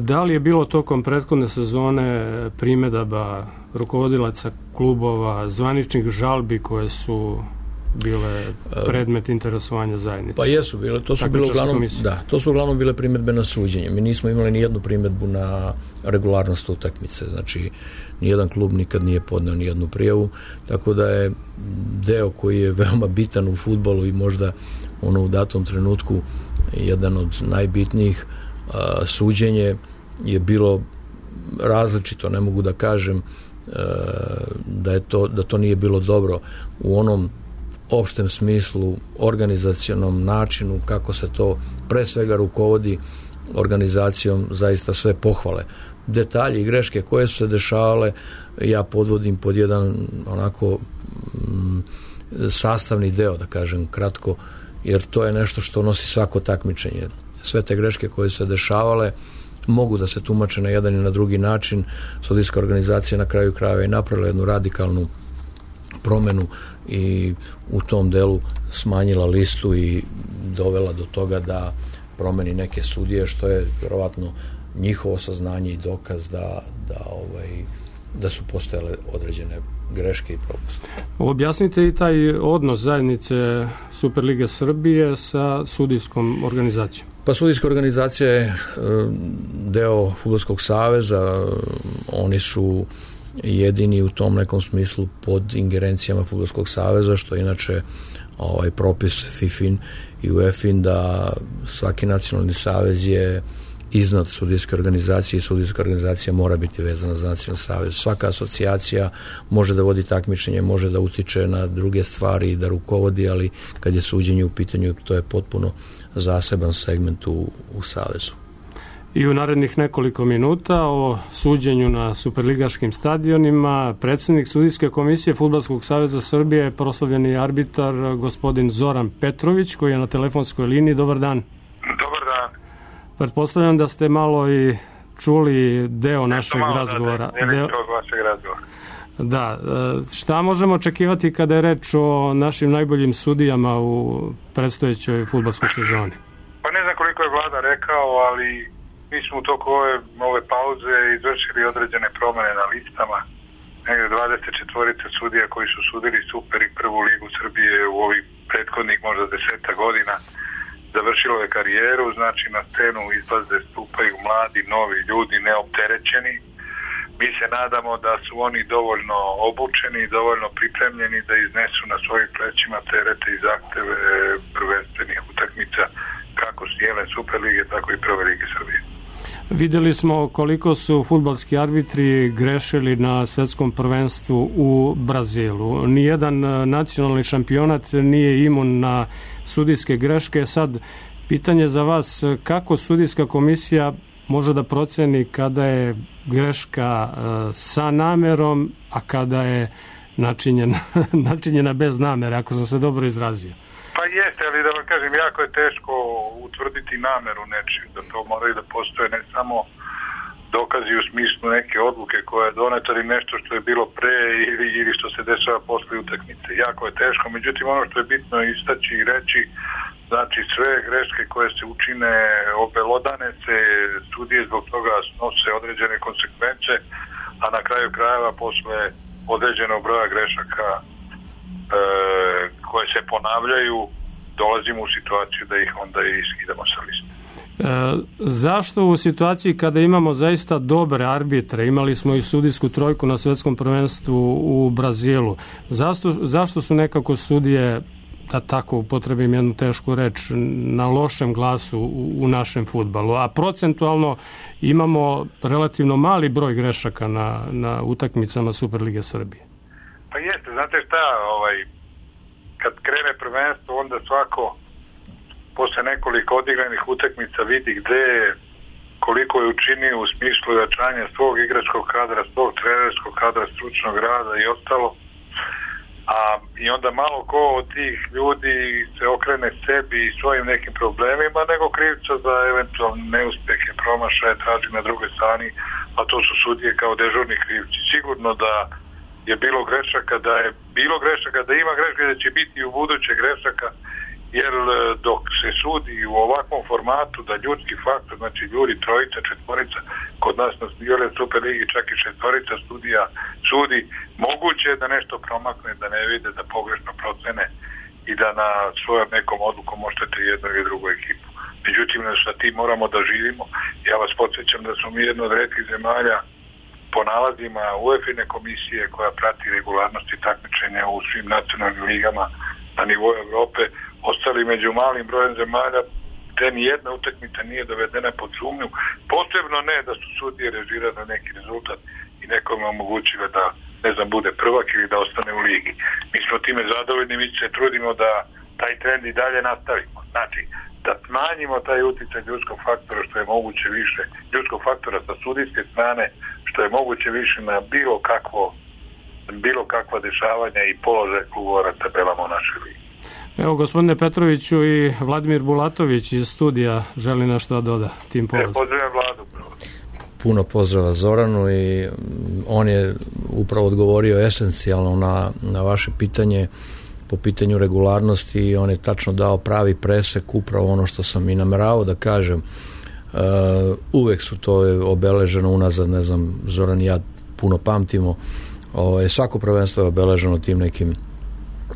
Da li je bilo tokom prethodne sezone primedaba rukovodilaca klubova, zvaničnih žalbi koje su bile predmet interesovanja zajednice? Pa jesu bile, to su bile uglavnom, da, to su uglavnom bile primjedbe na suđenje. Mi nismo imali ni jednu primjedbu na regularnost utakmice, znači nijedan klub nikad nije podneo ni jednu prijavu, tako da je deo koji je veoma bitan u fudbalu i možda ono u datom trenutku jedan od najbitnijih, a, suđenje je bilo različito, ne mogu da kažem da je to, da to nije bilo dobro u onom opštem smislu, organizacionom načinu kako se to pre svega rukovodi organizacijom, zaista sve pohvale. Detalji i greške koje su se dešavale ja podvodim pod jedan onako m, sastavni deo, da kažem kratko, jer to je nešto što nosi svako takmičenje. Sve te greške koje su se dešavale mogu da se tumače na jedan i na drugi način. Sudijska organizacija na kraju krajeva je napravila jednu radikalnu promenu i u tom delu smanjila listu i dovela do toga da promeni neke sudije, što je vjerovatno njihovo saznanje i dokaz da, da, ovaj, da su postojale određene greške i propuste. Objasnite i taj odnos zajednice Superlige Srbije sa sudijskom organizacijom. Pa sudijska organizacija je deo Fudbalskog saveza, oni su jedini u tom nekom smislu pod ingerencijama Fudbalskog saveza, što je inače ovaj propis FIFIN i UEFIN da svaki nacionalni savez je iznad sudijske organizacije i sudijska organizacija mora biti vezana za nacionalni savez. Svaka asocijacija može da vodi takmičenje, može da utiče na druge stvari i da rukovodi, ali kad je suđenje u pitanju, to je potpuno zaseban segment u, u savezu. I u narednih nekoliko minuta o suđenju na superligaškim stadionima predsjednik sudijske komisije Fudbalskog saveza Srbije je proslavljeni arbitar gospodin Zoran Petrović, koji je na telefonskoj liniji. Dobar dan. Dobar dan. Pretpostavljam da ste malo i čuli deo našeg malo, razgovora. Da, da, deo... od vašeg razgovora. Da, šta možemo očekivati kada je reč o našim najboljim sudijama u predstojećoj fudbalskoj sezoni? Pa ne znam koliko je vlada rekao, ali mi smo u toku ove, ove pauze izvršili određene promene na listama. Negde dvadeset četiri sudija koji su sudili Super i prvu ligu Srbije u ovih prethodnih možda deseta godina završilo je karijeru, znači na scenu izlaze, stupaju mladi, novi ljudi, neopterećeni. Mi se nadamo da su oni dovoljno obučeni i dovoljno pripremljeni da iznesu na svojim plećima terete i zahteve prvenstvenih utakmica kako cijele Superlige, tako i prve lige Srbije. Videli smo koliko su fudbalski arbitri grešili na svetskom prvenstvu u Brazilu. Nijedan nacionalni šampionat nije imun na sudijske greške. Sad, pitanje za vas, kako sudijska komisija može da proceni kada je greška sa namerom, a kada je načinjena, načinjena bez namere, ako sam se dobro izrazio? Pa jeste, ali da vam kažem, jako je teško utvrditi nameru nečiju, da to moraju da postoje ne samo dokazi u smislu neke odluke koja je doneta ili nešto što je bilo pre ili, ili što se dešava posle utakmice. Jako je teško, međutim ono što je bitno istaći i reći, znači sve greške koje se učine obelodane se, sudije zbog toga snose određene konsekvence, a na kraju krajeva posle određenog broja grešaka e, koje se ponavljaju, dolazimo u situaciju da ih onda i skidamo sa liste. E, zašto u situaciji kada imamo zaista dobre arbitre, imali smo i sudijsku trojku na svetskom prvenstvu u Brazilu, zašto, zašto su nekako sudije, da tako upotrebim jednu tešku reč, na lošem glasu u, u našem fudbalu, a procentualno imamo relativno mali broj grešaka na, na utakmicama Superlige Srbije? Pa jeste, znate šta, ovaj, kad krene prvenstvo, onda svako posle nekoliko odigranih utakmica vidi gde koliko je učinio u smislu jačanja svog igračkog kadra, svog trenerskog kadra, stručnog rada i ostalo. A, i onda malo ko od tih ljudi se okrene sebi i svojim nekim problemima, nego krivca za eventualne neuspehe, promašaje traži na drugoj strani, a to su sudije kao dežurni krivci. Sigurno da je bilo grešaka, da je bilo grešaka, da ima grešaka, da će biti i u buduće grešaka, jer dok se sudi u ovakvom formatu da ljudski faktor, znači ljudi trojica, četvorica, kod nas na Superligi čak i četvorica studija sudi, moguće je da nešto promakne, da ne vide, da pogrešno procene i da na svojom nekom odlukom oštete jednu ili drugu ekipu. Međutim, sa tim moramo da živimo. Ja vas podsjećam da smo mi jedno od retkih zemalja po nalazima UEFA komisije koja prati regularnosti takmičenja u svim nacionalnim ligama na nivou Evrope ostali među malim brojem zemalja gde ni jedna utakmica nije dovedena pod sumnju. Posebno ne da su sudije režirali na neki rezultat i nekome omogućile da, ne znam, bude prvak ili da ostane u ligi. Mi smo time zadovoljni, mi se trudimo da taj trend i dalje nastavimo. Znači, da smanjimo taj uticaj ljudskog faktora što je moguće više, ljudskog faktora sa sudijske strane, što je moguće više na bilo kakvo, bilo kakva dešavanja i položaj klubova na tabelama u našoj ligi. Evo, gospodine Petroviću, i Vladimir Bulatović iz studija želi nešto da doda tim povodom. E, pozdravljam Vladu. Puno pozdrava Zoranu i on je upravo odgovorio esencijalno na, na vaše pitanje po pitanju regularnosti i on je tačno dao pravi presek, upravo ono što sam i nameravao da kažem. Uh, uvek su to obeleženo unazad, ne znam, Zoran i ja puno pamtimo, o, svako prvenstvo je obeleženo tim nekim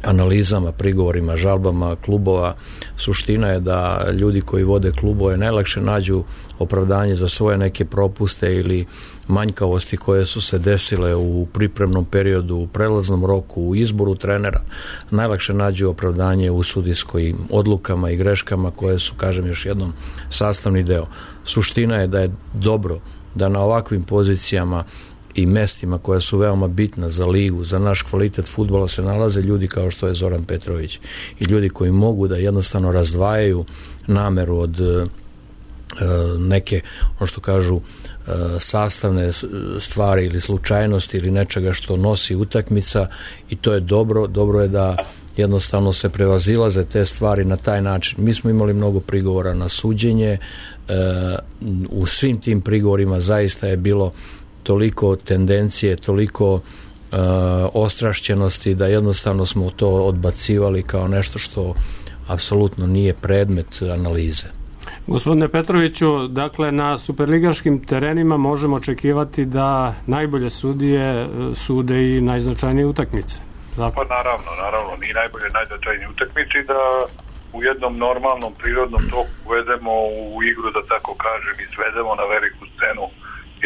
analizama, prigovorima, žalbama klubova. Suština je da ljudi koji vode klubove najlakše nađu opravdanje za svoje neke propuste ili manjkavosti koje su se desile u pripremnom periodu, u prelaznom roku, u izboru trenera. Najlakše nađu opravdanje u sudijskim odlukama i greškama koje su, kažem još jednom, sastavni deo. Suština je da je dobro da na ovakvim pozicijama i mestima koja su veoma bitna za ligu, za naš kvalitet fudbala se nalaze ljudi kao što je Zoran Petrović i ljudi koji mogu da jednostavno razdvajaju nameru od e, neke, ono što kažu, e, sastavne stvari ili slučajnosti ili nečega što nosi utakmica i to je dobro. Dobro je da jednostavno se prevazilaze te stvari na taj način. Mi smo imali mnogo prigovora na suđenje, e, u svim tim prigovorima zaista je bilo toliko tendencije, toliko uh, ostrašćenosti da jednostavno smo to odbacivali kao nešto što apsolutno nije predmet analize. Gospodine Petroviću, dakle na superligaškim terenima možemo očekivati da najbolje sudije sude i najznačajnije utakmice. Dakle. Pa naravno, naravno, ni najbolje najznačajnije utakmice i da u jednom normalnom prirodnom toku uvedemo u igru, da tako kažem, i svedemo na veliku scenu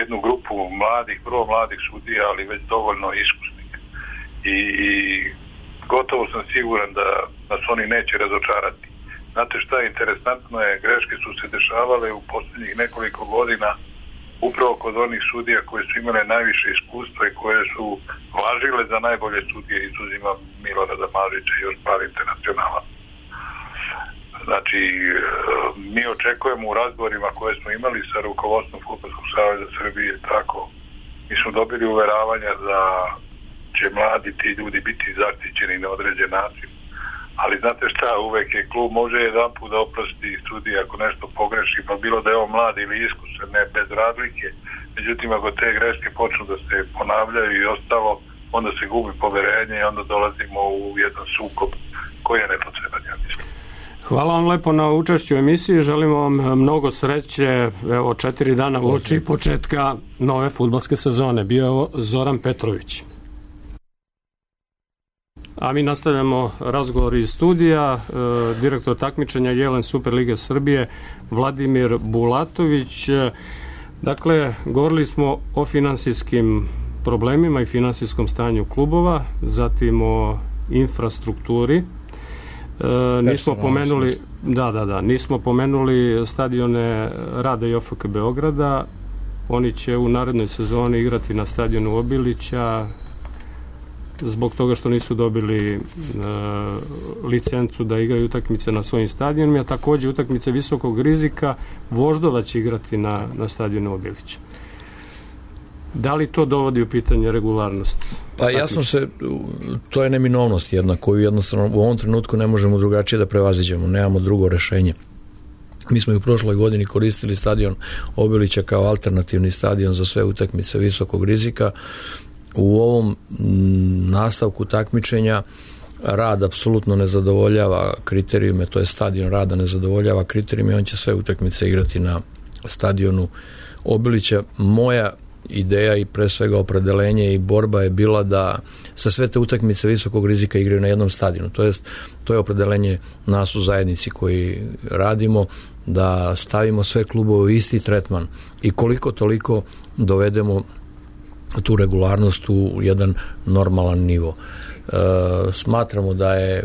jednu grupu mladih, prvo mladih sudija, ali već dovoljno iskusnih. I, i gotovo sam siguran da nas oni neće razočarati. Znate šta je interesantno je, greške su se dešavale u posljednjih nekoliko godina upravo kod onih sudija koje su imale najviše iskustva i koje su važile za najbolje sudije, izuzima Milorada Mažića i još par internacionala. Znači, mi očekujemo u razgovorima koje smo imali sa rukovodstvom Fudbalskog saveza Srbije, tako, mi smo dobili uveravanja da će mladi ti ljudi biti zaštićeni na određen način. Ali znate šta, uvek je klub može jedan put da oprosti sudije ako nešto pogreši, pa bilo da je on mlad ili iskusan, ne bez razlike. Međutim, ako te greške počnu da se ponavljaju i ostalo, onda se gubi poverenje i onda dolazimo u jedan sukob koji je nepotreban, ja mislim. Hvala vam lepo na učešću u emisiji, želimo vam mnogo sreće, evo četiri dana uoči početka nove fudbalske sezone. Bio je ovo Zoran Petrović. A mi nastavljamo razgovor iz studija, e, direktor takmičenja Jelen Superlige Srbije Vladimir Bulatović. Dakle, govorili smo o finansijskim problemima i finansijskom stanju klubova, zatim o infrastrukturi. E, nismo pomenuli da, da, da, nismo pomenuli stadione Rada i O F K Beograda. Oni će u narednoj sezoni igrati na stadionu Obilića zbog toga što nisu dobili e, licencu da igraju utakmice na svojim stadionima, a takođe utakmice visokog rizika Voždova će igrati na, na stadionu Obilića. Da li to dovodi u pitanje regularnost? Pa ja sam se, to je neminovnost jedna koju jednostavno u ovom trenutku ne možemo drugačije da prevaziđemo, nemamo drugo rešenje. Mi smo i u prošloj godini koristili stadion Obilića kao alternativni stadion za sve utakmice visokog rizika. U ovom nastavku takmičenja Rad apsolutno ne zadovoljava kriterijume, to je stadion Rada ne zadovoljava kriterijume i on će sve utakmice igrati na stadionu Obilića. Moja ideja i pre svega opredelenje i borba je bila da sa sve te utakmice visokog rizika igraju na jednom stadionu. To jest, to je opredelenje nas u zajednici koji radimo, da stavimo sve klubove u isti tretman i koliko toliko dovedemo tu regularnost u jedan normalan nivo. E, smatramo da je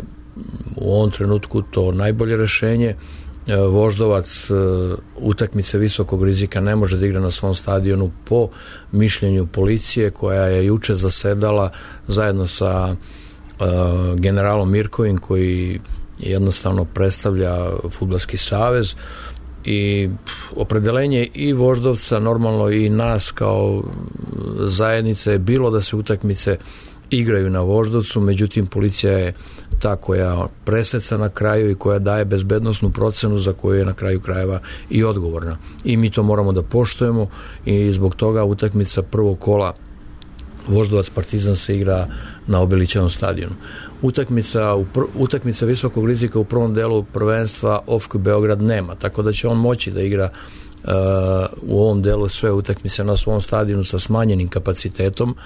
u ovom trenutku to najbolje rešenje. E, Voždovac e, utakmice visokog rizika ne može da igra na svom stadionu po mišljenju policije koja je juče zasedala zajedno sa e, generalom Mirkovim koji jednostavno predstavlja Fudbalski savez i opredelenje i Voždovca normalno i nas kao zajednice je bilo da se utakmice igraju na Voždovcu, međutim policija je ta koja preseca na kraju i koja daje bezbednosnu procenu za koju je na kraju krajeva i odgovorna. I mi to moramo da poštujemo i zbog toga utakmica prvog kola Voždovac Partizan se igra na Obilićevom stadionu. Utakmica, utakmica visokog rizika u prvom delu prvenstva O F K Beograd nema, tako da će on moći da igra uh, u ovom delu sve utakmice na svom stadionu sa smanjenim kapacitetom,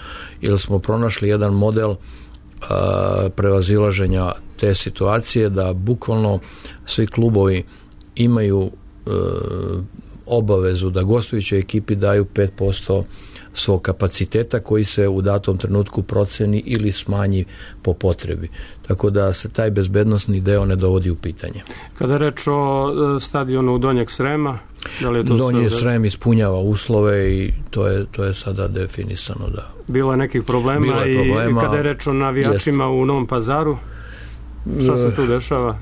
jer smo pronašli jedan model uh, prevazilaženja te situacije da bukvalno svi klubovi imaju uh, obavezu da gostujućoj ekipi daju pet posto svog kapaciteta koji se u datom trenutku proceni ili smanji po potrebi. Tako da se taj bezbednosni deo ne dovodi u pitanje. Kada je reč o stadionu Donjeg Srema, da li je to Donji sve... Srem ispunjava uslove i to je, to je sada definisano. Da. Bilo je nekih problema, Bilo je problema i kada je reč o navijačima jest. U Novom Pazaru, šta se tu dešava?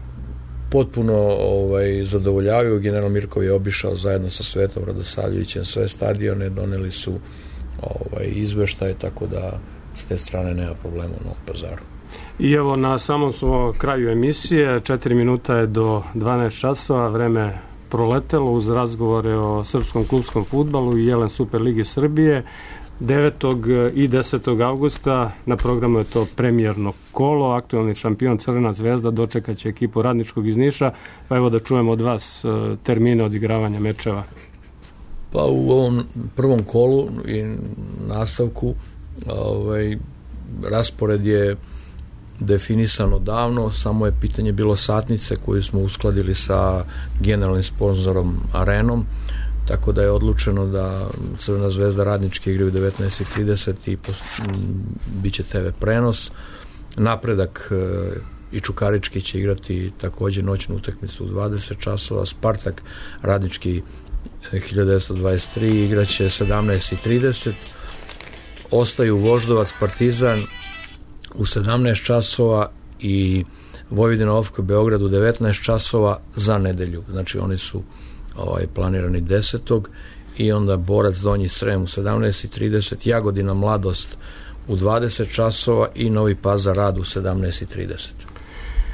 Potpuno ovaj, zadovoljavaju. General Mirkov je obišao zajedno sa Svetom Radosavljevićem sve stadione, doneli su ovaj, izveštaje, tako da s te strane nema problema u Novom Pazaru. I evo na samom smo kraju emisije, četiri minuta je do dvanaest časova, vreme proletelo uz razgovore o srpskom klubskom fudbalu i Jelen Superligi Srbije. devetog i desetog avgusta na programu je to premijerno kolo, aktualni šampion Crvena zvezda dočekat će ekipu Radničkog iz Niša, pa evo da čujemo od vas termine odigravanja mečeva. Pa u ovom prvom kolu i nastavku ovaj, raspored je definisan odavno, samo je pitanje bilo satnice koju smo uskladili sa generalnim sponzorom Arenom, tako da je odlučeno da Crvena zvezda Radnički igraju u devetnaest i trideset i post, bit će te ve prenos. Napredak e, i Čukarički će igrati takođe noćnu utakmicu u dvadeset časova, Spartak Radnički hiljadu devetsto dvadeset tri igraće sedamnaest i trideset, ostaju Voždovac Partizan u sedamnaest časova i Vojvodina O F K Beograd u devetnaest časova za nedelju, znači oni su ovaj, planirani desetog i onda Borac Donji Srem u sedamnaest i trideset, Jagodina Mladost u dvadeset časova i Novi Pazar Rad u sedamnaest i trideset.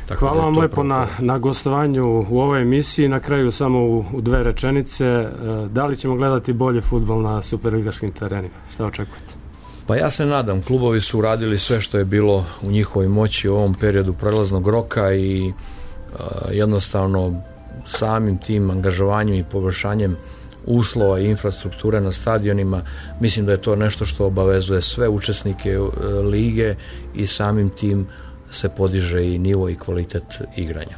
Tako Hvala vam lepo na, na gostovanju u ovoj emisiji. Na kraju samo u, u dve rečenice. Da li ćemo gledati bolje fudbal na superligaškim terenima? Šta očekujete? Pa ja se nadam. Klubovi su uradili sve što je bilo u njihovoj moći u ovom periodu prelaznog roka i a, jednostavno samim tim angažovanjem i poboljšanjem uslova i infrastrukture na stadionima, mislim da je to nešto što obavezuje sve učesnike lige i samim tim se podiže i nivo i kvalitet igranja.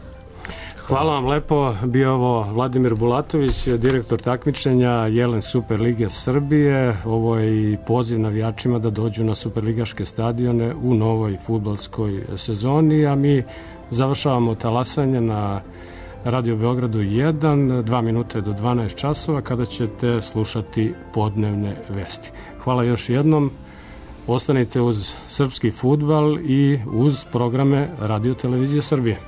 Hvala vam lepo. Bio ovo Vladimir Bulatović, direktor takmičenja Jelen Superlige Srbije. Ovo je i poziv navijačima da dođu na superligaške stadione u novoj fudbalskoj sezoni, a mi završavamo talasanje na Radio Beogradu jedan, dva minute do dvanaest časova, kada ćete slušati podnevne vesti. Hvala još jednom. Ostanite uz srpski fudbal i uz programe Radio Televizije Srbije.